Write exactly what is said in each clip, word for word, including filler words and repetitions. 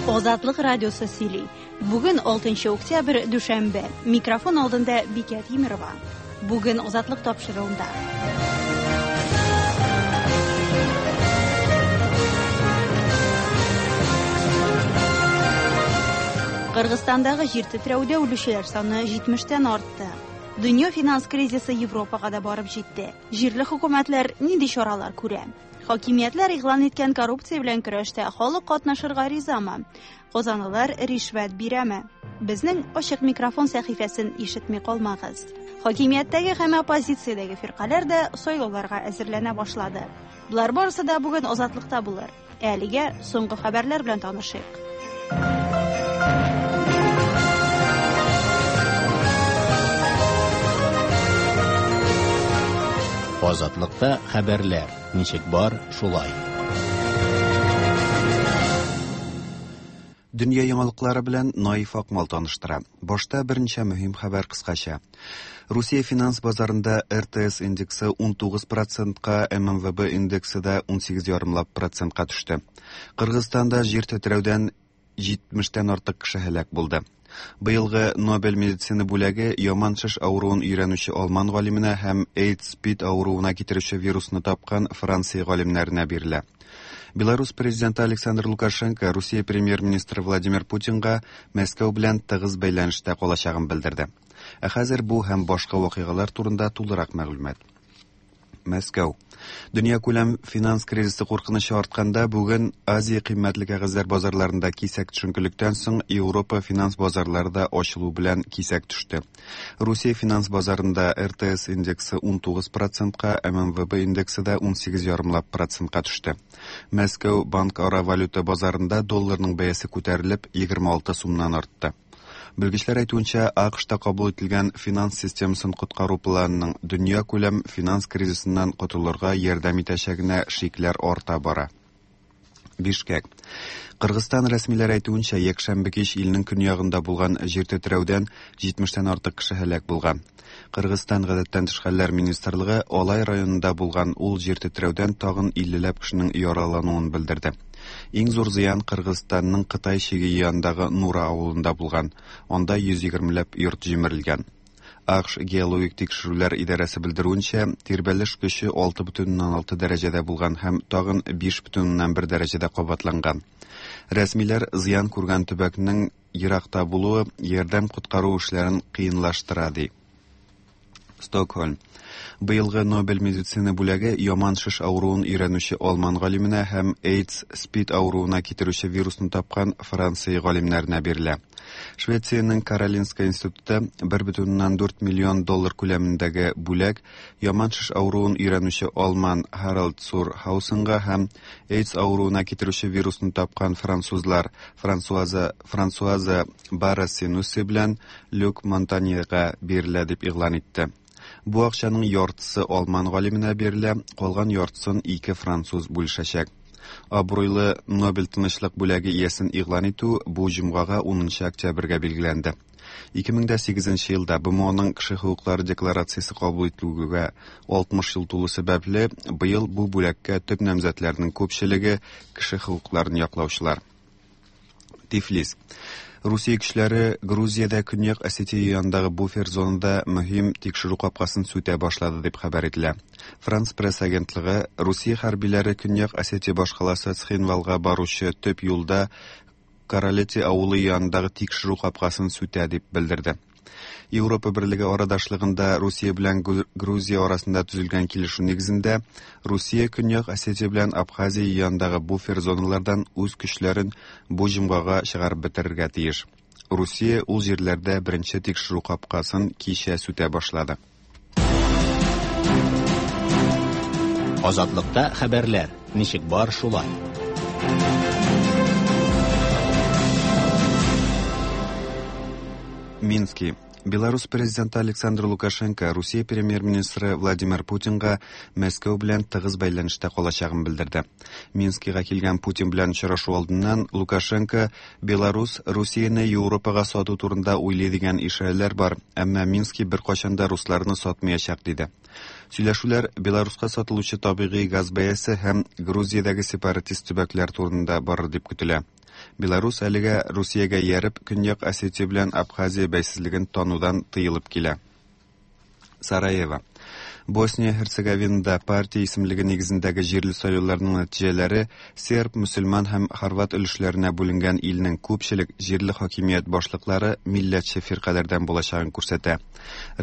Азатлык радиосы сөйли. Бүген алтынчы октябрь, дүшәмбе. Микрофон алдында Бикә Тимерова. Бүген Азатлык тапшыруында. Кыргызстандагы җир тетрәүдә үлүчеләр саны җитмештән артты. Дөнья финанс кризисы Европага да барып җитте. Җирле хөкүмәтләр нинди чаралар күрә? Хакимиятләр игълан иткән коррупция белән көрәштә халык катнашырга ризамы? Казанлылар ришвәт бирәме? Безнең ачык микрофон сәхифәсен ишетми калмагыз. Хакимияттәге һәм оппозициядәге фиркаләр дә сайлауларга әзерләнә башлады. Болар барысы да бүген Азатлыкта булыр. Әлегә соңгы хәбәрләр белән танышыйк. Азатлыкта хәбәрләр ничек бар, шулай. Дөнья яңалыклары белән Наиф Акмал таныштыра. Башта берничә мөһим хәбәр кыскача. Русия финанс базарында Р Т С индексы ун тугыз процентка, М М В Б индексы да ун сигез ярымлап процентка төште. Кыргызстанда җир тетрәүдән җитмештән артык кеше һәлак булды. Быелгы Нобель медицина бүләге яман шеш авыруын өйрәнүче алман галименә һәм AIDS-СПИД авыруына китерүче вирусны тапкан Франция галимнәренә бирелә. Беларусь президенты Александр Лукашенко Русия премьер-министры Владимир Путинга Мәскәү белән тыгыз бәйләнештә калачагын белдерде. Ә хәзер бу һәм башка вакыйгалар турында тулырак мәгълүмат. Мәскәү. Дөньякүләм финанс кризисы куркынычы артканда бүген Азия кыйммәтле кәгазьләр базарларында кисәк төшенкелектән соң Европа финанс базарлары да ачылу белән кисәк төште. Русия финанс базарында Р Т С индексы ун тугыз процентка, М М В Б индексы да ун сигез ярымлап процентка төште. Мәскәү банк ара валюта базарында долларның бәясе күтәрелеп егерме алты сумнан артты. Белгечләр әйтүенчә, А К Шта кабул ителгән финанс системасын коткару планының дөнья күләм финанс кризисыннан котылырга ярдәм итәчәгенә шикләр арта бара. Бишкек. Кыргызстан рәсмиләре әйтүенчә, якшәмбе кич илнең көньягында булган җир тетрәүдән җитмештән артык кеше һәлак булган. Кыргызстан гадәттән тыш хәлләр министрлыгы Алай районында булган ул җир тетрәүдән тагын иллеләп кешенең яралануын белдерде. Иң зур зыян Кыргызстанның Кытай чиге янындагы Нура авылында булган. Анда йөз егермеләп йорт җимерелгән. А К Ш геологик тикшерүләр идарәсе белдерүенчә, тирбәлеш көче алты бөтен уннан алты дәрәҗәдә булган һәм тагын биш бөтен уннан бер дәрәҗәдә кабатланган. Рәсмиләр зыян күргән төбәкнең еракта булуы ярдәм коткару эшләрен кыенлаштыра, ди. Стокһольм. Быелгы Нобель медицина бүләге яман шеш авыруын өйрәнүче алман галименә һәм AIDS-СПИД авыруына китерүче вирусны тапкан Франция галимнәренә бирелә. Швециянең Каролинска институты бер бөтен уннан дүрт миллион доллар күләмендәге бүләк яман шеш авыруын өйрәнүче алман Харальд Цур Хаусенга һәм AIDS авыруына китерүче вирусны тапкан французлар Франсуаза, Франсуаза Барра-Сенуси белән Люк Монтаньега бирелә дип игълан итте. Бу акчаның яртысы алман галименә бирелә, калган яртысын ике француз бүлешәчәк. Абруйлы Нобель тынычлык бүләге иясен игълан итү бу җомгага унынчы октябрьгә билгеләнде. Ике мең дә сигезенче елда Б М Оның кеше хокуклары декларациясе кабул ителүгә алтмыш ел тулу сәбәпле, быел бу бүләккә төп намзәтләрнең күпчелеге кеше хокукларын яклаучылар. Тифлис. Русия көчләре Грузиядә Көньяк Осетия янындагы буфер зонада мөһим тикшерү капкасын сүтә башлады дип хәбәр ителә. Франс пресс агентлыгы Русия хәрбиләре Көньяк Осетия башкаласы Цхинвалга баручы төп юлда Каралети авылы янындагы тикшерү капкасын сүтә дип белдерде. Европа Берлеге арадашлыгында Русия белән Гру-, Грузия арасында төзелгән килешү нигезендә Русия Көньяк Осетия белән Абхазия янындагы буфер зоналардан үз көчләрен бу җомгага чыгарып бетерергә тиеш. Русия ул җирләрдә беренче тикшерү капкасын кичә сүтә башлады. Азатлыкта хәбәрләр ничек бар шулай. Мински. Беларусь президенты Александр Лукашенко Русия премьер-министры Владимир Путинга Мәскәү белән тыгыз бәйләнештә калачагын белдерде. Минскига килгән Путин белән очрашу алдыннан Лукашенко Беларусь Русияне Европага сату турында уйлый дигән ишарәләр бар, әмма Мински беркайчан да русларны сатмаячак диде. Сөйләшүләр Беларуска сатылучы табигый газ бәясе һәм Грузиядәге сепаратист төбәкләр турында барыр дип көтелә. Беларус әлегә Русиягә ияреп, Көньяк Осетия белән Абхазия бәйсезлеген танудан тыелып килә. Сараево. Босния-Һерцеговинада партия исемлеге нигезендәге җирле сайлауларның нәтиҗәләре серб, мөселман һәм хорват өлешләренә бүленгән илнең күпчелек җирле хакимият башлыклары милләтче фиркаләрдән булачагын күрсәтә.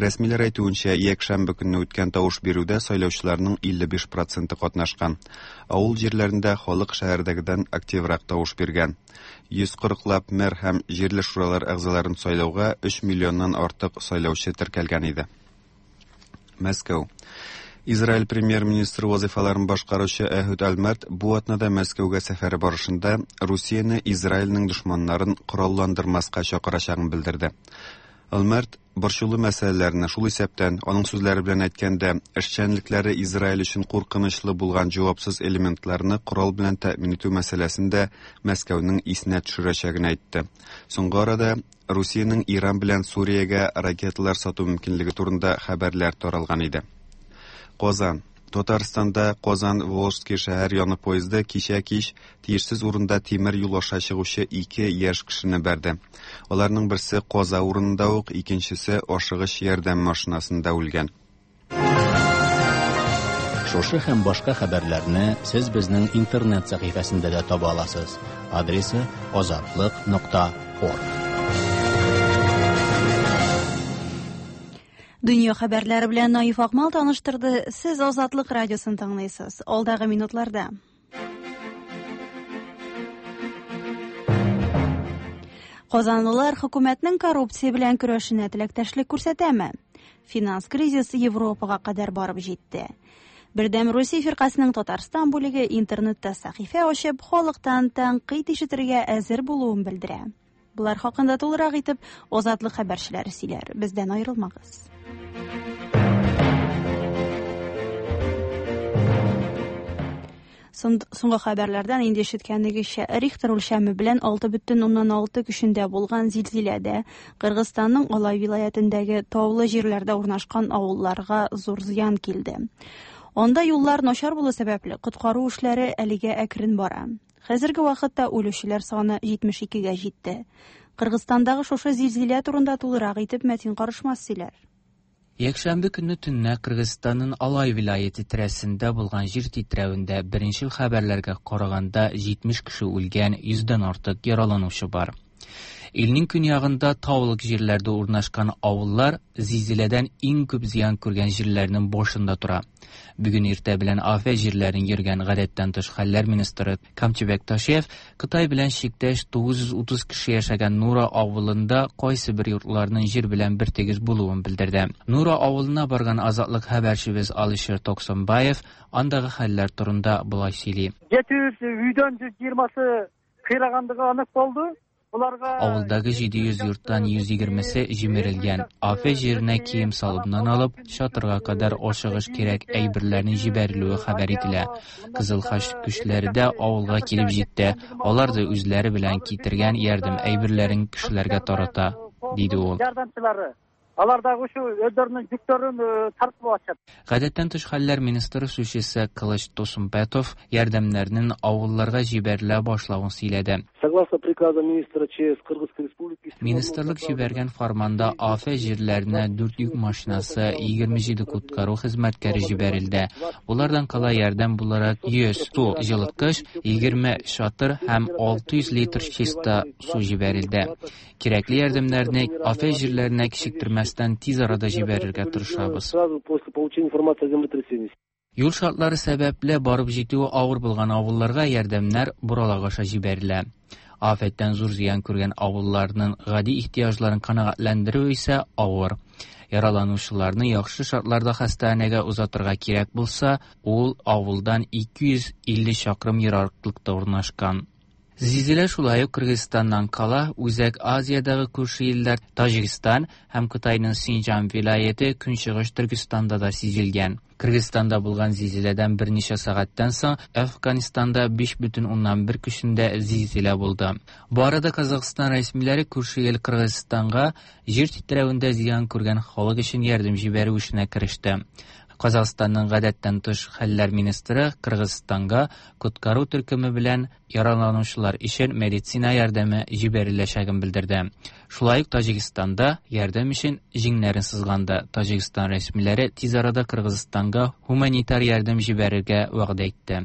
Рәсмиләр әйтүенчә, якшәмбе көнне үткән тавыш бирүдә сайлаучыларның илле биш проценты катнашкан. Авыл җирләрендә халык шәһәрдәгедән активрак тавыш биргән. Йөз кырыклап мэр һәм җирле шуралар әгъзаларын сайлауга өч миллионнан артык сайлаучы теркәлгән иде. Мәскәү. Израиль премьер-министры вазифаларын башкаручы Әһүд Альмерт бу атнада Мәскәүгә сәфәре барышында Русияне Израильнең дошманнарын коралландырмаска чакырачагын белдерде. Альмерт борчулы мәсьәләләрне, шул исәптән, аның сүзләре белән әйткәндә, эшчәнлекләре Израиль өчен куркынычлы булган җавапсыз элементларны корал белән тәэмин итү мәсьәләсен дә Мәскәүнең исенә төшерәчәген әйтте. Соңгы арада Русиянең Иран белән Суриягә ракеталар сату мөмкинлеге турында хәбәрләр таралган иде. Казан. Татарстанда Казан-Волжский шәһәр яны поезды кичә кич тиешсез урында тимер юл аша чыгучы ике яшь кешене бәрде. Аларның берсе каза урынында ук, икенчесе ашыгыч ярдәм машинасында үлгән. Шушы һәм башка хәбәрләрне сез безнең интернет сәхифәсендә дә таба аласыз. Адресы азатлык нокта орг. Дөнья хәбәрләре белән Наиф Акмал таныштырды. Сез Азатлык радиосын тыңлыйсыз. Алдагы минутларда. Казанлылар хөкүмәтнең коррупция белән көрәшенә теләктәшлек күрсәтәме? Финанс кризисы Европага кадәр барып җитте. Бердәм Русия фиркасының Татарстан бүлеге интернетта сәхифә ачып, халыктан тәнкыйть ишетергә әзер булуын белдерә. Булар хакында тулырак итеп Азатлык хәбәрчеләре сөйләр. Бездән аерылмагыз. Соңгы хәбәрләрдән инде ишеткәнегезчә, Рихтер үлчәме белән алты бөтен уннан алты көчендә булган зилзиләдә Кыргызстанның Алай вилаятендәге таулы җирләрдә урнашкан авылларга зур зыян килде. Анда юллар начар булу сәбәпле коткару эшләре әлегә әкрен бара. Хәзерге вакытта үлүчеләр саны җитмеш икегә җитте. Кыргызстандагы шушы зилзилә турында тулырак итеп Мәтин Карышмас сөйләр. Якшәмбе көнне төнлә Кыргызстанның Алай вилаяте тирәсендә булган җир тетрәвендә беренчел хәбәрләргә караганда җитмеш кеше үлгән, йөздән артык яраланучы бар. Илнең көньягында таулык җирләрдә урнашкан авыллар зилзиләдән иң күп зыян күргән җирләрнең башында тора. Бүген иртә белән афәт җирләрен йөргән гадәттән тыш хәлләр министры Камчыбек Ташиев Кытай белән чиктәш тугыз йөз утыз кеше яшәгән Нура авылында кайсы бер йортларның җир белән бер тигез булуын белдерде. Нура авылына барган Азатлык хәбәрчебез Алишер Токсонбаев андагы хәлләр турында болай сөйли. Жети жүз үйдөн жүз жыйырмасы кыйрагандыгы анык болду. Авылдагы җиде йөз йорттан йөз егермесе җимерелгән. Афәт җиренә кием салымнан алып, чатырга кадәр ашыгыч кирәк әйберләрнең җибәрелүе хәбәр ителә. Кызыл Хач көчләре дә авылга килеп җитте. Алар да үзләре белән китергән ярдәм әйберләрен кешеләргә тарата, диде ул. Алар дагы ушу өздөрүнүн жүктөрүн тартып алышат. Гадәттән тыш хәлләр министры сүзчесе Кылыч Тосумбетов ярдәмнәрнең авылларга җибәрелә башлавын сөйләде. Согласно приказу министра ЧС Кыргызской Республики, Министрлык җибәргән фарманда афәт җирләренә дүрт йөк машинасы, егерме җиде коткару хезмәткәре җибәрелде. Булардан кала ярдәм буларак йөз су җылыткыч, егерме чатыр һәм алты йөз литр чиста су җибәрелде. Кирәкле ярдәмнәрне афәт җирләренә кичектермәстән тиз арада җибәрергә тырышабыз. Юл шартлары сәбәпле барып җитүе авыр булган авылларга ярдәмнәр боралак аша җибәрелә. Афәттән зур зыян күргән авылларның гади ихтыяҗларын канәгатьләндерү исә авыр. Яраланучыларны яхшы шартларда хастаханәгә озатырга кирәк булса, ул авылдан ике йөз илле чакрым ераклыкта урнашкан. Зилзилә шулай ук Кыргызстаннан кала Үзәк Азиядагы күрше илләр Таҗикстан һәм Кытайның Синҗан вилаяте Көнчыгыш Төркестанда да сизелгән. Кыргызстанда булган зилзиләдән берничә сәгатьтән соң Әфганстанда биш бөтен уннан бер көчендә зилзилә булды. Бу арада Казахстан рәсмиләре күрше ил Кыргызстанга җир тетрәвендә зыян күргән халык өчен ярдәм җибәрү эшенә кереште. Казахстанның гадәттән тыш хәлләр министры Кыргызстанга коткару төркеме белән яраланучылар өчен медицина ярдәме җибәреләчәген белдерде. Шулай ук Таҗикстанда ярдәм өчен җиңнәрен сызганды. Таҗикстан рәсмиләре тиз арада Кыргызстанга гуманитар ярдәм җибәрергә вәгъдә итте.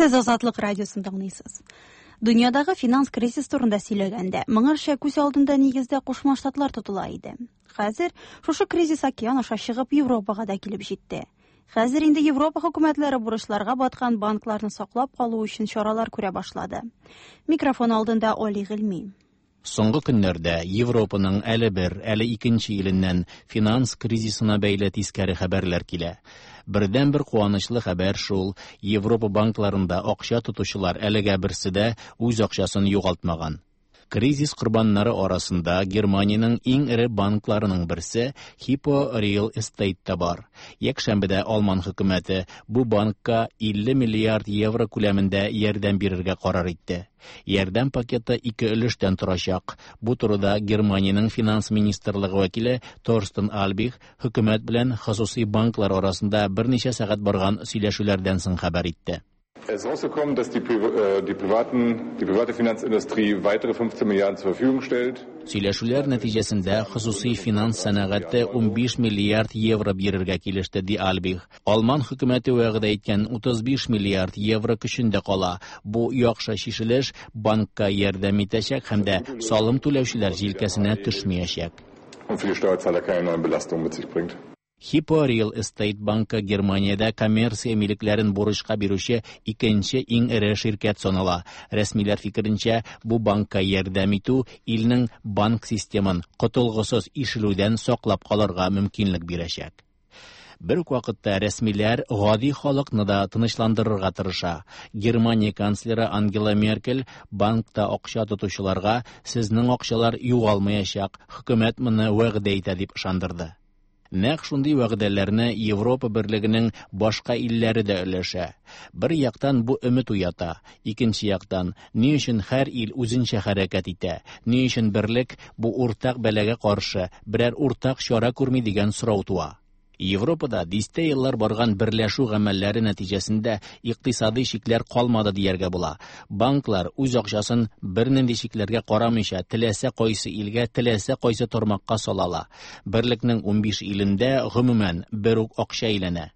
Сез Азатлык радиосын тыңлыйсыз. Дөньядагы финанс кризис турында сөйләгәндә, моңарча күз алдында нигездә Кушма Штатлар тотыла иде. Хәзер шушы кризис океан аша чыгып Европага да килеп җитте. Хәзер инде Европа хөкүмәтләре бурычларга баткан банкларны саклап калу өчен чаралар күрә башлады. Микрофон алдында Оли Гыйльми. Соңгы көннәрдә Европаның әле бер, әле икенче иленнән финанс кризисына бәйле тискәре хәбәрләр килә. Бердән-бер куанычлы хәбәр шул: Европа банкларында акча тотучылар әлегә берсе дә үз акчасын югалтмаган. Кризис корбаннары арасында Германиянең иң эре банкларының берсе Hippo Real Estate та бар. Якшәмбедә Алман хөкүмәте бу банкка илле миллиард евро күләмендә ярдәм бирергә карар итте. Ярдәм пакеты ике өлештән торачак. Бу турыда Германиянең финанс министрлыгы вәкиле Торстен Альбих хөкүмәт белән хосусый банклар арасында берничә сәгать барган сөйләшүләрдән соң хәбәр итте. Es ist rausgekommen, dass die, die, privaten, die private Finanzindustrie weitere fünfzehn Milliarden zur Verfügung stellt. Сөйләшүләр нәтиҗәсендә хосусый финанс сәнәгате унбиш миллиард евро бирергә килеште, ди Альбих. Алман хөкүмәте вәгъдә иткән утыз биш миллиард евро көчендә кала. Бу яхшы чишелеш банкка ярдәм итәчәк һәм дә салым түләүчеләр җилкәсенә төшмәячәк. Und für die Steuerzahler keine neuen Belastungen mit sich bringt. Hippo Real Estate банкы Германиядә коммерция милекләрен бурычка бирүче икенче иң эре ширкәт санала. Рәсмиләр фикеренчә, бу банкка ярдәм итү илнең банк системын котылгысыз ишелүдән саклап калырга мөмкинлек бирәчәк. Бер үк вакытта рәсмиләр гади халыкны да тынычландырырга тырыша. Германия канцлеры Ангела Меркель банкта акча тотучыларга сезнең акчалар югалмаячак, хөкүмәт моны вәгъдә итә дип ышандырды. Нәкъ шундый вәгъдәләрне Европа берлегенең башка илләре дә өләшә. Бер яктан бу өмет уята, икенче яктан ни өчен һәр ил үзенчә хәрәкәт итә, ни өчен берлек бу уртак бәлагә каршы берәр уртак чара күрми дигән сорау туа. Европада дистә еллар барган берләшү гамәлләре нәтиҗәсендә икътисади чикләр калмады дияргә була. Банклар үз акчасын бернинди чикләргә карамыйча теләсә кайсы илгә, теләсә кайсы тармакка сала ала. Берлекнең унбиш илендә гомумән бер үк акча әйләнә.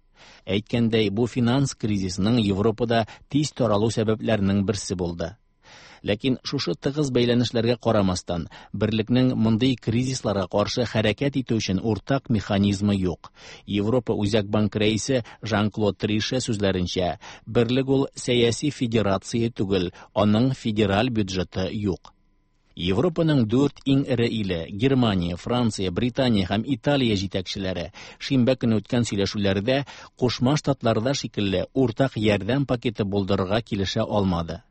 Әйткәндәй, бу финанс кризисының Европада тиз таралу сәбәпләренең берсе булды. Ләкин шушы тыгыз бәйләнешләргә карамастан, берлекнең мондый кризисларга каршы хәрәкәт итү өчен уртак механизмы юк. Европа Үзәк банк рәисе Жан-Клод Трише сүзләренчә, берлек ул сәяси федерация түгел, аның федераль бюджеты юк. Европаның дүрт иң эре иле Германия, Франция, Британия һәм Италия җитәкчеләре шимбә көне үткән сөйләшүләрдә Кушма Штатларда шикелле уртак ярдәм пакеты булдырырга килешә алмады.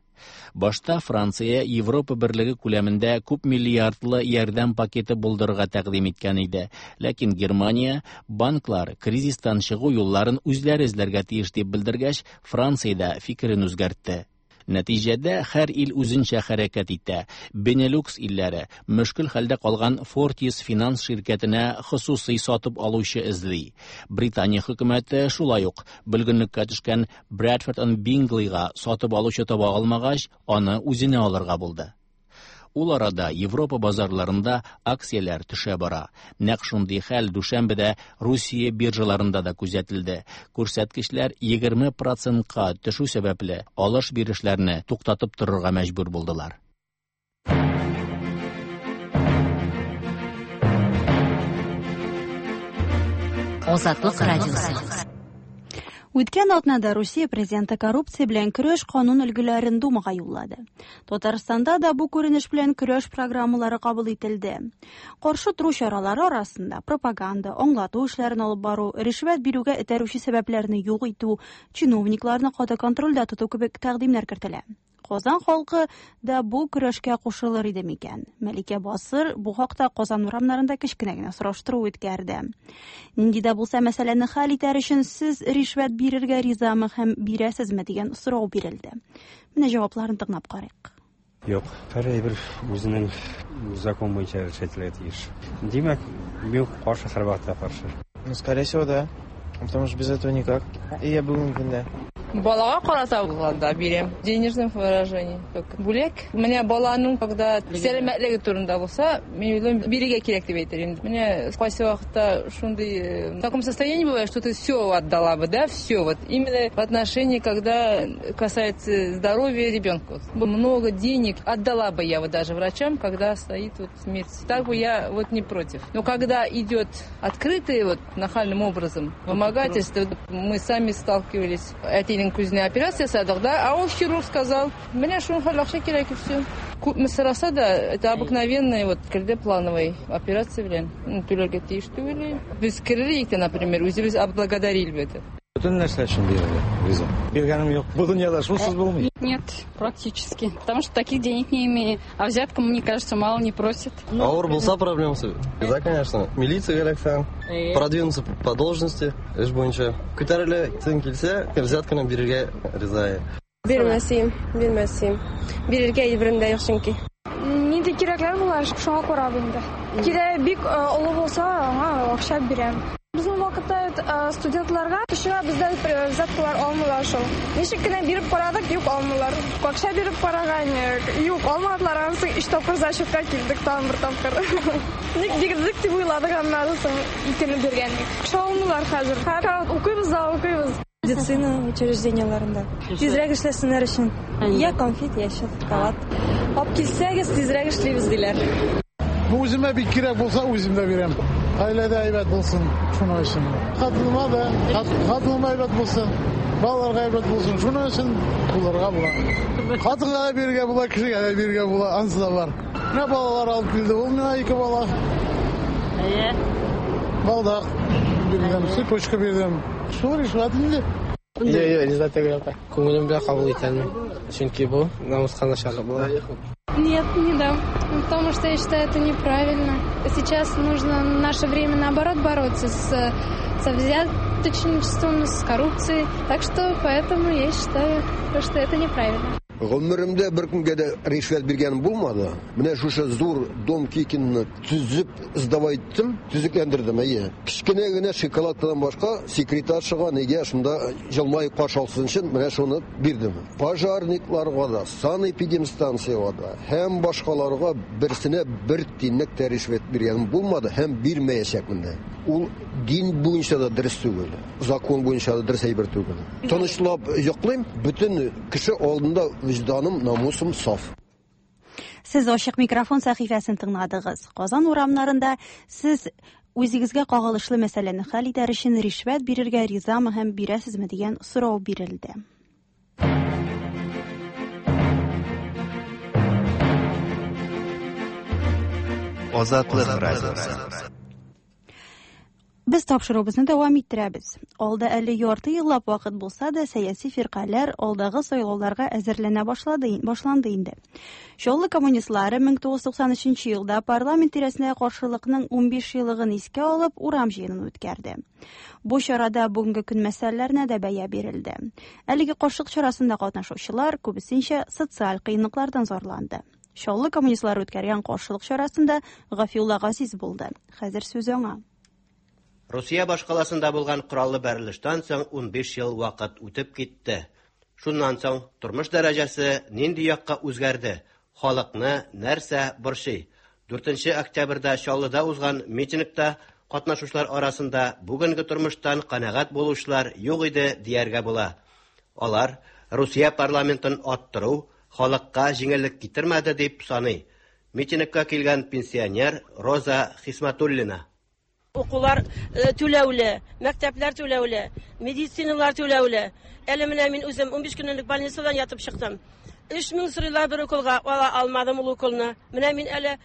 Башта Франция Европа берлеге күләмендә күп миллиардлы ярдәм пакеты булдырырга тәкъдим иткән иде. Ләкин Германия банклар кризистан чыгу юлларын үзләре эзләргә тиеш дип белдергәч, Франция дә фикерен үзгәртте. Нәтиҗәдә һәр ил үзенчә хәрәкәт итә. Бенелюкс илләре мөшкел хәлдә калган Fortis финанс ширкәтенә хосусый сатып алучы эзли. Британия хөкүмәте шулай ук бөлгенлеккә төшкән Bradford and Bingleyга сатып алучы таба алмагач, аны үзенә алырга булды. Ул арада Европа базарларында акцияләр төшә бара. Нәкъ шундый хәл дүшәмбедә Русия биржаларында да күзәтелде. Күрсәткечләр егерме процентка төшү сәбәпле алыш-бирешләрне туктатып торырга мәҗбүр булдылар. Азатлык радиосы. Үткән атнада Русия президенты коррупция белән көрәш канун өлгеләрен Думага юллады. Татарстанда да бу күренеш белән көрәш программалары кабул ителде. Каршы тору чаралары арасында пропаганда, аңлату эшләрен алып бару, ришвәт бирүгә этәрүче сәбәпләрне юк итү, чиновникларны каты контрольдә тоту кебек тәкъдимнәр кертелә. Казан халкы да бу көрәшкә кушылыр иде микән? Мәликә Басыр бу хакта Казан урамнарында кечкенә генә сораштыру үткәрде. Нинди дә булса мәсьәләне хәл итәр өчен сез ришвәт бирергә ризамы һәм бирәсезме дигән сорау бирелде. Менә җавапларын тыңлап карыйк. Юк, һәр әйбер үзенең закон буенча эшләтелергә тиеш. Димәк, мин каршы, һәрвакытта каршы. Ну, скорее всего, да. Потому что без этого никак. И я бүгенге көндә. Балага карата булганда бирәм. Денежном выражении. Бүләк. Менә баланың, когда сәламәтлеге турында булса, мин уйлыйм, бирергә кирәк дип әйтер идем. Менә кайсы вакытта шундый в таком состоянии бывает, что ты все отдала бы, да, все вот. Именно в отношении, когда касается здоровья ребенка. Много денег отдала бы я вот даже врачам, когда стоит вот смерть. Так бы я вот не против. Но когда идет открытый вот нахальным образом вымогательство, мы сами сталкивались. Әтинең күзенә операция ясадык, да, а ул хирург сказал, менә шуның акча кирәк и все. Күпме сораса да, это обыкновенная вот керде плановый операция белән түләргә тиеш түгел. Без керер идек, например, үзебез отблагодарили бы это. Бөтен нәрсә өчен бирелә, риза. Биргәнем юк. Бу дөньяда шунсыз булмый. Нет, практически. Потому что таких денег не имею. А взятку, мне кажется, мало не просят. Авыр булса проблемасы. Да, конечно. Милиция эләксәң, продвинуться по должности, эш буенча. Күтәреләсең килсә, взятканы бирергә риза. Бирмәсем, бирмәсем. Бирергә әйберем дә юк чөнки. Нинди кирәкләр була, шуңа карап инде. Кирәк бик олы булса, аңа акча бирәм. Безнең вакытта студентларга кешегә бездә взяткалар алмыйлар шул. Ничек кенә биреп карадык, юк алмыйлар. Акча биреп караган, юк алмадылар. Аннан соң өч тапкыр зачетка килдек, тагын бер тапкыр. Ник бирдек дип уйладык, аннан соң икене биргәнлек. Акча алмыйлар хәзер. Һәр укыйбыз да укыйбыз. Медицина учреждениеләрендә. Тизрәк эшләсеннәр өчен. Я конфет, я шоколад. Алып килсәгез, тизрәк эшлибез диләр. Бу үземә бик кирәк булса, үзем дә бирәм. Гаиләдә әйбәт булсын, шуның өчен. Хатыныма да, хатыныма әйбәт булсын, балаларга әйбәт булсын, шуның өчен булырга була. Хатынга да бирергә була, кешегә дә бирергә була, ансы да бар. Менә балалар алып килде, ул миңа ике бала. Әйе. Балдак бирдем, цепочка бирдем. Шул ришвәт инде. Юк, юк, риза түгел. Күңелем белән кабул итәм. Чөнки бу намуска начарлык була. Нет, не дам, потому что я считаю это неправильно. Сейчас нужно в наше время наоборот бороться с, со взяточничеством, с коррупцией. Так что поэтому я считаю, что это неправильно. Гомеремдә бер кемгә дә ришвәт биргәнем булмады. Менә шушы зур дом Кикинны төзеп сдавать иттем, төзекләндердем, әйе. Кечкенә генә шоколадкадан башка секретаршага нигә шунда җылмаеп каршы алсын өчен менә шуны бирдем. Пожарникларга да, санэпидемстанциягә да һәм башкаларга берсенә бер тинлек тә ришвәт биргәнем булмады һәм бирмәячәкмен дә. Ул дин буенча да дөрес түгел, закон буенча да дөрес әйбер түгел. Тынычлап йоклыйм, бөтен кеше алдында вөҗданым, намусым саф. Сез ачык микрофон сәхифәсен тыңладыгыз. Казан урамнарында сез үзегезгә кагылышлы мәсьәләне хәл итәр өчен ришвәт бирергә ризамы һәм бирәсезме дигән сорау бирелде. Азатлык радиосы. Без тапшыруыбызны дәвам иттерәбез. Алда әле ярты еллап вакыт булса да, сәяси фиркаләр алдагы сайлауларга әзерләнә башлады, башланды инде. Чаллы коммунистлары мең тугыз йөз туксан өченче елда парламент тирәсенә каршылыкның унбиш еллыгын искә алып, урам җыенын үткәрде. Бу чарада бүгенге көн мәсьәләләренә дә бәя бирелде. Әлеге каршылык чарасында катнашучылар күбесенчә социаль кыенлыклардан зарланды. Чаллы коммунистлары үткәргән каршылык чарасында Гафиулла Газиз булды. Хәзер сүз аңа. Русия башкаласында булган кораллы бәрелештән соң унбиш ел вакыт үтеп китте. Шуннан соң тормыш дәрәҗәсе нинди якка үзгәрде? Халыкны нәрсә борчый? дүртенче октябрьдә Чаллыда узган митингта катнашучылар арасында бүгенге тормыштан канәгать булучылар юк иде дияргә була. Алар Русия парламентын аттыру халыкка җиңеллек китермәде дип саный. Митингка килгән пенсионер Роза Хисматуллина. Укулар түләүле, мәктәпләр түләүле, медициналар түләүле. Әле менә мин үзем унбиш көнлек больницадан ятып чыктым. Өч мең сорыйлар бер уколга, ала алмадым ул уколны. Менә мин әле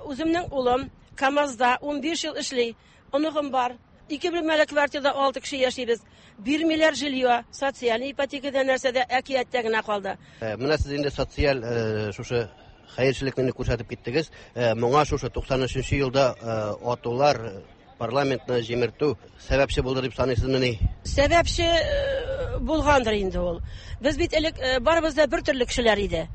үземнең улым КАМАЗда унбиш ел эшли, оныгым бар. Ике бүлмәле квартирада алты кеше яшибез. Бирмиләр жилье, социаль ипотекада нәрсәдә әкияттә генә калды. Менә сез инде социаль шушы хәерчелекне күрсәтеп киттегез. Моңа шушы туксан өченче елда атулар, парламентны җимертү сәбәпче булды дип саныйсызмыни? Сәбәпче булгандыр инде ул. Без бит элек барыбыз да бер төрле кешеләр иде.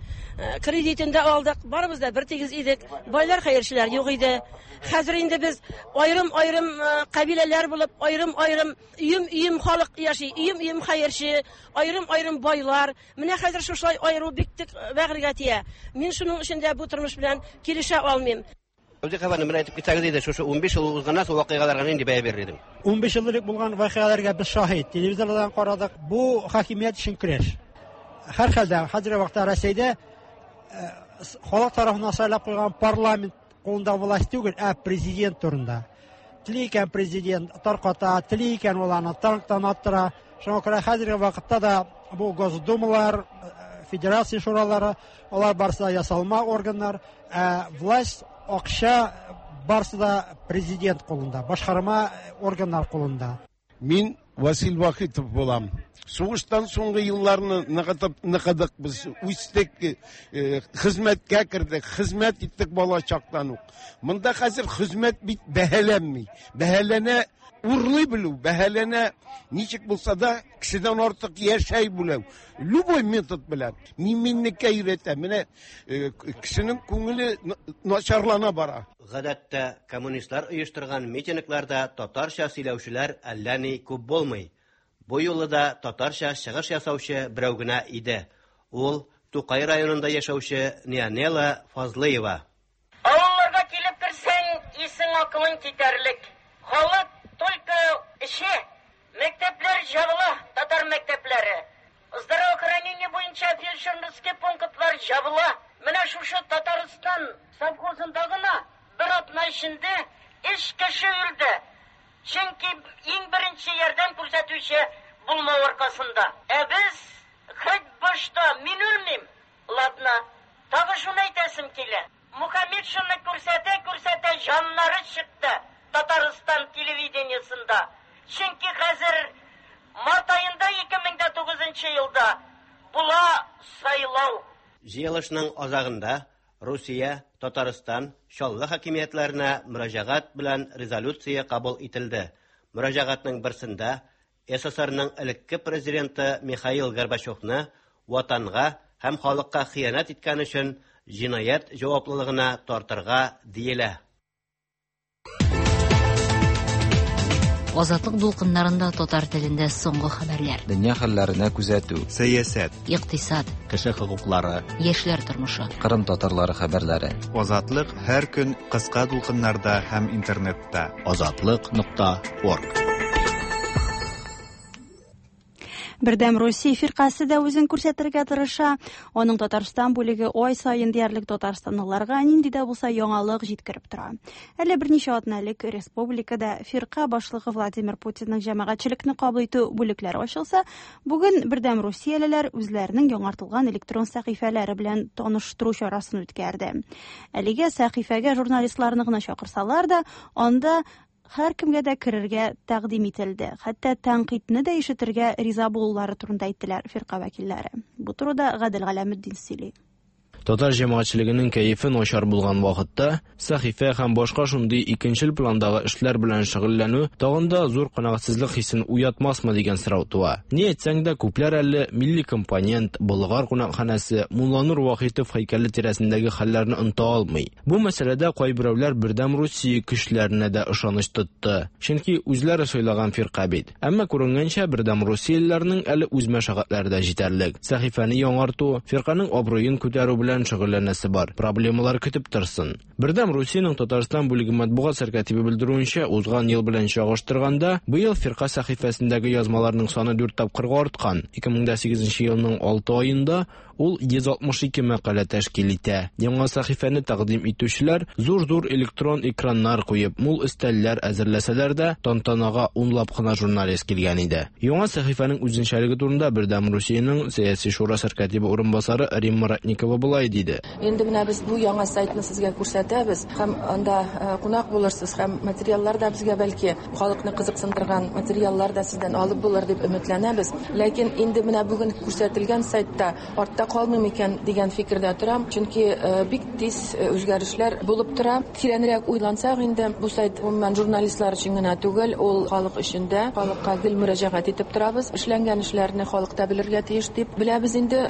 Кредитын да алдык, барыбыз да бер тигез идек. Байлар, хәерчеләр юк иде. Хәзер инде без аерым-аерым кабиләләр булып, аерым-аерым өем-өем халык яши, өем-өем хәерче, аерым-аерым байлар. Менә хәзер шушылай аеру бик тик бәгырьгә тия. Мин шуның өчен дә бу тормыш белән килешә алмыйм. Үзе хәбәрне менә әйтеп китсәгез иде, шушы унбиш ел узганнан соң вакыйгаларга нинди бәя бирер идең? Унбиш ел элек булган вакыйгаларга без шаһит. Телевизордан карадык. Бу хакимият өчен көрәш. Һәр хәлдә хәзерге вакытта Россиядә халык тарафыннан сайлап куйган парламент кулында власть түгел, ә президент турында. Тели икән президент тарката, тели икән ул аны танктан аттыра. Шуңа күрә хәзерге вакытта да бу Госдумалар, Федерация шуралары, алар барысы да ясалма органнар, ә власть, акча барысы да президент кулында, башкарма органнар кулында. Мин Васил Вахитов булам. Сугыштан соңгы елларны ныгытып ныгыдык без, үстек, хезмәткә кердек, хезмәт иттек бала чактан ук. Монда хәзер хезмәт бит бәһаләнми. Бәһаләнә урлый белү, бәһаләнә ничек булса да кешедән артык яшәй белү. Любой метод белән. Мин-минлеккә өйрәтә. Менә кешенең күңеле начарлана бара. Гадәттә коммунистлар оештырган митингларда татарча сөйләүчеләр әллә ни күп булмый. Бу юлы да татарча чыгыш ясаучы берәү генә иде. Ул Тукай районында яшәүче Нионела Фазлыева. Авылларга килеп керсәң, исең акылың китәрлек. Халык только эше. Мәктәпләр ябыла, татар мәктәпләре. Здравоохранение буенча фельдшерский пунктлар ябыла. Менә шушы Татарстан совхозында гына бер атна эчендә өч кеше үлде. Чөнки иң беренче ярдәм күрсәтүче булмау аркасында. Ә без хоть башта мин үлмим. Ладно. Тагы шуны әйтәсем килә. Мухаммедшинны күрсәтә күрсәтә җаннары чыкты Татарстан телевидениесында. Чөнки хәзер март аенда ике мең дә тугызынчы елда була сайлау. Җыелышның азагында Русия, Татарстан, Чаллы хакимиятләренә мөрәҗәгать белән резолюция кабул ителде. Мөрәҗәгатьнең берсендә СССРның элекке президенты Михаил Горбачевны ватанга һәм халыкка хыянәт иткән өчен җинаять җаваплылыгына тартырга диелә. Азатлык дулкыннарында татар телендә соңгы хәбәрләр. Дөнья хәлләренә күзәтү, сәясәт, икътисад, кеше хокуклары, яшьләр тормышы, Кырым татарлары хәбәрләре. Азатлык һәр көн кыска дулкыннарда һәм интернетта. Азатлык нокта орг. Бердәм Русия фиркасе дә үзен күрсәтергә тырыша. Аның Татарстан бүлеге ай саен диярлек татарстанлыларга нинди дә булса яңалык җиткереп тора. Әле берничә атна элек республикада фирка башлыгы Владимир Путинның җәмәгатьчелекне кабул итү бүлекләре ачылса, бүген Бердәм Русиялеләр үзләренең яңартылган электрон сәхифәләре белән таныштыру чарасын үткәрде. Әлегә сәхифәгә журналистларны гына чакырсалар да, анда һәр кемгә дә керергә тәкъдим ителде. Хәтта тәнкыйтьне дә ишетергә риза булулары турында әйттеләр фирка вәкилләре. Бу турыда Гадел Галәметдин сөйли. Татар җәмәгатьчелегенең кәефе начар булган вакытта сәхифә һәм башка шундый икенчел пландагы эшләр белән шөгыльләнү тагын да зур канәгатьсезлек хисен уятмасмы дигән сорау туа. Ни әйтсәң дә, күпләр әле милли компонент, Болгар кунакханәсе, Мулланур Вахитов һәйкәле тирәсендәге хәлләрне оныта алмый. Бу мәсьәләдә кайберәүләр Бердәм Русия көчләренә дә ышаныч тотты. Чөнки үзләре сайлаган фирка бит. Әмма күренгәнчә, Бердәм Русиялеләрнең әле үз мәшәкатьләре дә җитәрлек. Сәхифәне яңарту, фирканың абруен күтәрү белән шөгыльләнәсе бар. Проблемалар көтеп торсын. Бердәм Русиянең Татарстан бүлеге матбугат сәркәтибе белдерүенчә, узган ел белән чагыштырганда, быел фирка сәхифәсендәге язмаларның саны дүрт тапкырга арткан. ике мең сигезенче елның алты аенда Ул йөз алтмыш ике мәкалә тәшкил итә. Яңа сәхифәне тәкъдим итүчеләр зур-зур электрон экраннар куеп, мул өстәлләр әзерләсәләр дә, тантанага унлап кына журналист килгән иде. Яңа сәхифәнең үзенчәлеге турында Бердәм Русиянең сәяси шура сәркатибе урынбасары Римма Ратникова болай диде. Инде менә без бу яңа сайтны сезгә күрсәтәбез һәм анда кунак булырсыз һәм материаллар да безгә бәлки халыкны кызыксындырган материаллар да сездән алып булыр дип өметләнәбез. Ләкин инде менә бүген күрсәтелгән сайтта артта калмыйм икән дигән фикердә торам, чөнки бик тиз үзгәрешләр булып тора. Тирәнрәк уйлансак инде бу сайт гомумән журналистлар өчен генә түгел, ул халык өчен дә, халыкка гел мөрәҗәгать итеп торабыз. Эшләнгән эшләрне халык та белергә тиеш дип беләбез инде.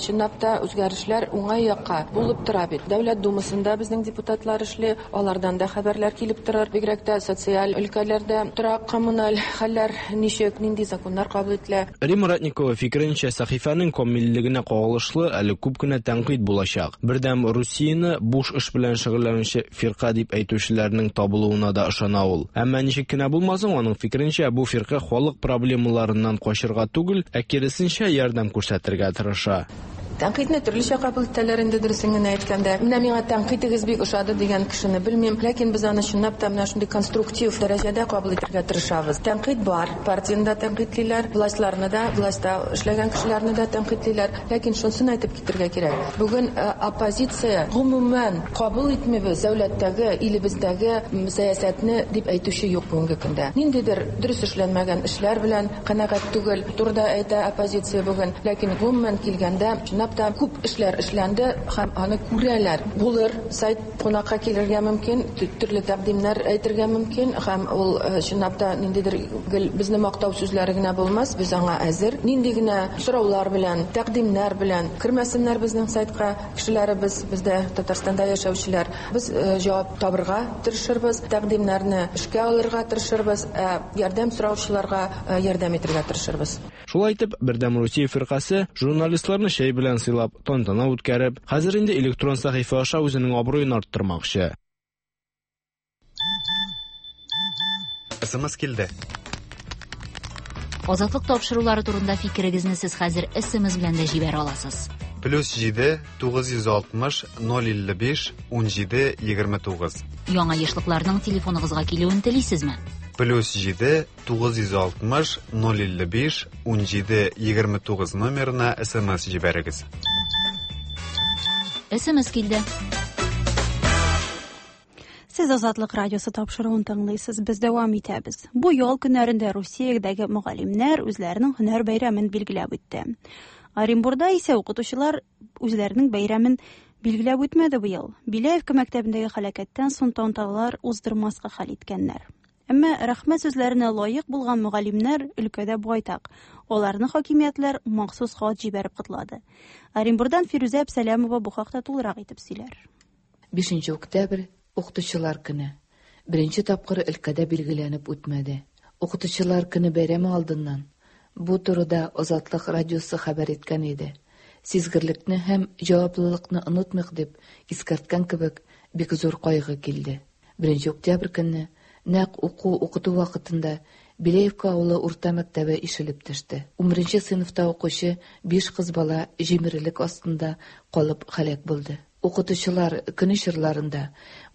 Чынлап та үзгәрешләр уңай якка булып тора бит. Дәүләт Думасында безнең депутатлар эшли, алардан да хәбәрләр килеп торыр. Бигрәк тә социаль өлкәләрдә торак коммуналь хәлләр ничек, нинди законнар кабул ителә. Римма Ратникова фикеренчә, сәхифәнең камиллегенә кагылышлы әле күп кенә тәнкыйть булачак. Бердәм Русияне буш эш белән шөгыльләнүче фирка дип әйтүчеләрнең табылуына да ышана ул. Әмма ничек кенә булмасын, аның фикеренчә, бу фирка халык проблемаларыннан качырга түгел, ә киресенчә ярдәм күрсәтергә тырыша. Тәнкыйтьне төрлечә кабул итәләр инде, дөресен генә әйткәндә. Менә миңа тәнкыйтегез бик ошады дигән кешене белмим, ләкин без аны чынлап та менә шундый конструктив дәрәҗәдә кабул итәргә тырышабыз. Тәнкыйть бар, партияне дә тәнкыйтьлиләр, властьларны да, властьта эшләгән кешеләрне дә тәнкыйтьлиләр. Ләкин шунысын әйтеп китәргә кирәк. Бүген оппозиция гомумән кабул итмибез дәүләттәге, илебездәге сәясәтне дип әйтүче юк бүгенге көндә. Ниндидер дөрес эшләнмәгән эшләр белән канәгать түгел турыда әйтә оппозиция бүген, ләкин гомумән килгәндә та күп эшләр эшләнде һәм аны күрәләр. Булыр, сайт кунакка килергә мөмкин, төрле тәкъдимнәр әйтергә мөмкин һәм ул чынлап та ниндидер гел безне мактау сүзләре генә булмас, без аңа әзер. Нинди генә сораулар белән, тәкъдимнәр белән кермәсеннәр безнең сайтка кешеләребез, бездә Татарстанда яшәүчеләр. Без җавап табырга тырышырбыз, тәкъдимнәрне эшкә алырга тырышырбыз, ә ярдәм сораучыларга ярдәм итәргә тырышырбыз. Шулай итеп, Бердәм Русия фиркасе журналистларны чәй белән сыйлап, тантана үткәреп, хәзер инде электрон сәхифә аша үзенең абруен арттырмакчы. Эс Эм Эс килде. Азатлык тапшырулары турында фикерегезне сез хәзер Эс Эм Эс белән дә җибәрә аласыз. Плюс җиде, тугыз йөз алтмыш, ноль илле биш, ун җиде, егерме тугыз. Яңа ешлыкларның телефоныгызга килүен телисезме? Плюс җиде, тугыз йөз алтмыш, ноль илле биш, ун җиде, егерме тугыз номерына Эс Эм Эс җибәрегез. Эс Эм Эс килде. Сез Азатлык радиосы тапшыруын тыңлыйсыз, без дәвам итәбез. Бу ял көннәрендә Русиядәге мөгаллимнәр үзләренең һөнәр бәйрәмен билгеләп үтте. Оренбурда исә укытучылар үзләренең бәйрәмен билгеләп үтмәде быел. Беляевка мәктәбендәге һәлакәттән соң тантаналар уздырмаска хәл иткәннәр. Әмма рәхмәт сүзләренә лаек булган мөгаллимнәр өлкәдә байтак. Аларны хакимиятләр махсус хат җибәреп котлады. Оренбурдан Фирүзә Әпсәләмова бу хакта тулырак итеп сөйләр. Бишенче октябрь укытучылар көне. Беренче тапкыр өлкәдә билгеләнеп үтмәде. Укытучылар көне бәйрәме алдыннан бу турыда Азатлык радиосы хәбәр иткән иде. Сизгерлекне һәм җаваплылыкны онытмыйк дип искәрткән кебек бик зур кайгы килде. Беренче октябрь көнне нәкъ уку укыту вакытында Беляевка авылы урта мәктәбе ишелеп төште. Унберенче сыйныфта укучы биш кыз бала җимерелек астында калып һәлак булды. Укытучылар көне чорларында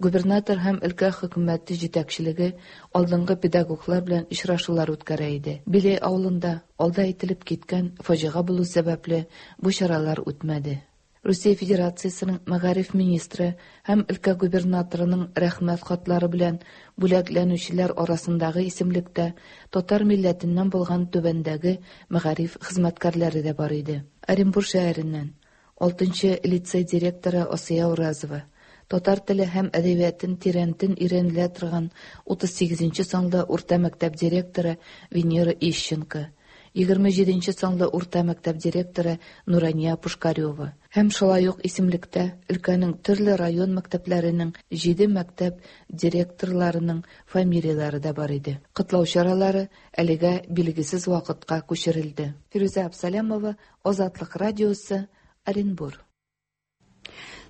губернатор һәм өлкә хөкүмәте җитәкчелеге алдынгы педагоглар белән очрашулар үткәрә иде. Белей авылында алда әйтелеп киткән фаҗига булу сәбәпле бу чаралар үтмәде. Русия Федерациясының мәгариф министры һәм өлкә губернаторының рәхмәт хатлары белән бүләкләнүчеләр арасындагы исемлектә татар милләтеннән булган түбәндәге мәгариф хезмәткәрләре дә бар иде. Оренбур шәһәреннән алтынчы лицей директоры Асия Уразова, татар теле һәм әдәбиятын тирәнтен өйрәнелә торган утыз сигезенче санлы урта мәктәп директоры Венера Ищенко, егерме җиденче санлы урта мәктәп директоры Нурания Пушкарева һәм шулай ук исемлектә өлкәнең төрле район мәктәпләренең җиде мәктәп директорларының фамилияләре дә бар иде. Котлау чаралары әлегә билгесез вакытка күчерелде. Фирүзә Абсалямова, Азатлык радиосы, Оренбур.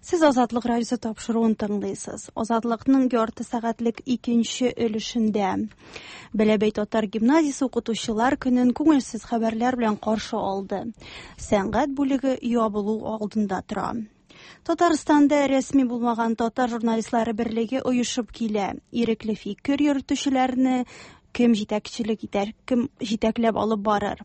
Сез Азатлык радиосы тапшыруын тыңлыйсыз. Азатлыкның ярты сәгатьлек икенче өлешендә Бәләбәй татар гимназиясе укытучылар көнен күңелсез хәбәрләр белән каршы алды. Сәнгать бүлеге ябылу алдында тора. Татарстанда рәсми булмаган татар журналистлары берлеге оешып килә. Ирекле фикер йөртүчеләрне кем җитәкчелек итәр, кем җитәкләп алып барыр.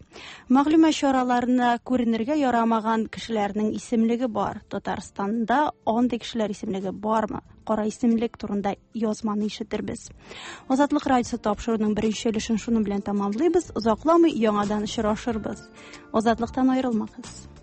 Мәгълүмат чараларына күренергә ярамаган кешеләрнең исемлеге бар. Татарстанда андый кешеләр исемлеге бармы? Кара исемлек турында язманы ишетербез. Азатлык радиосы тапшыруының беренче өлешен шуның белән тәмамлыйбыз. Озакламый яңадан очрашырбыз. Азатлыктан аерылмагыз.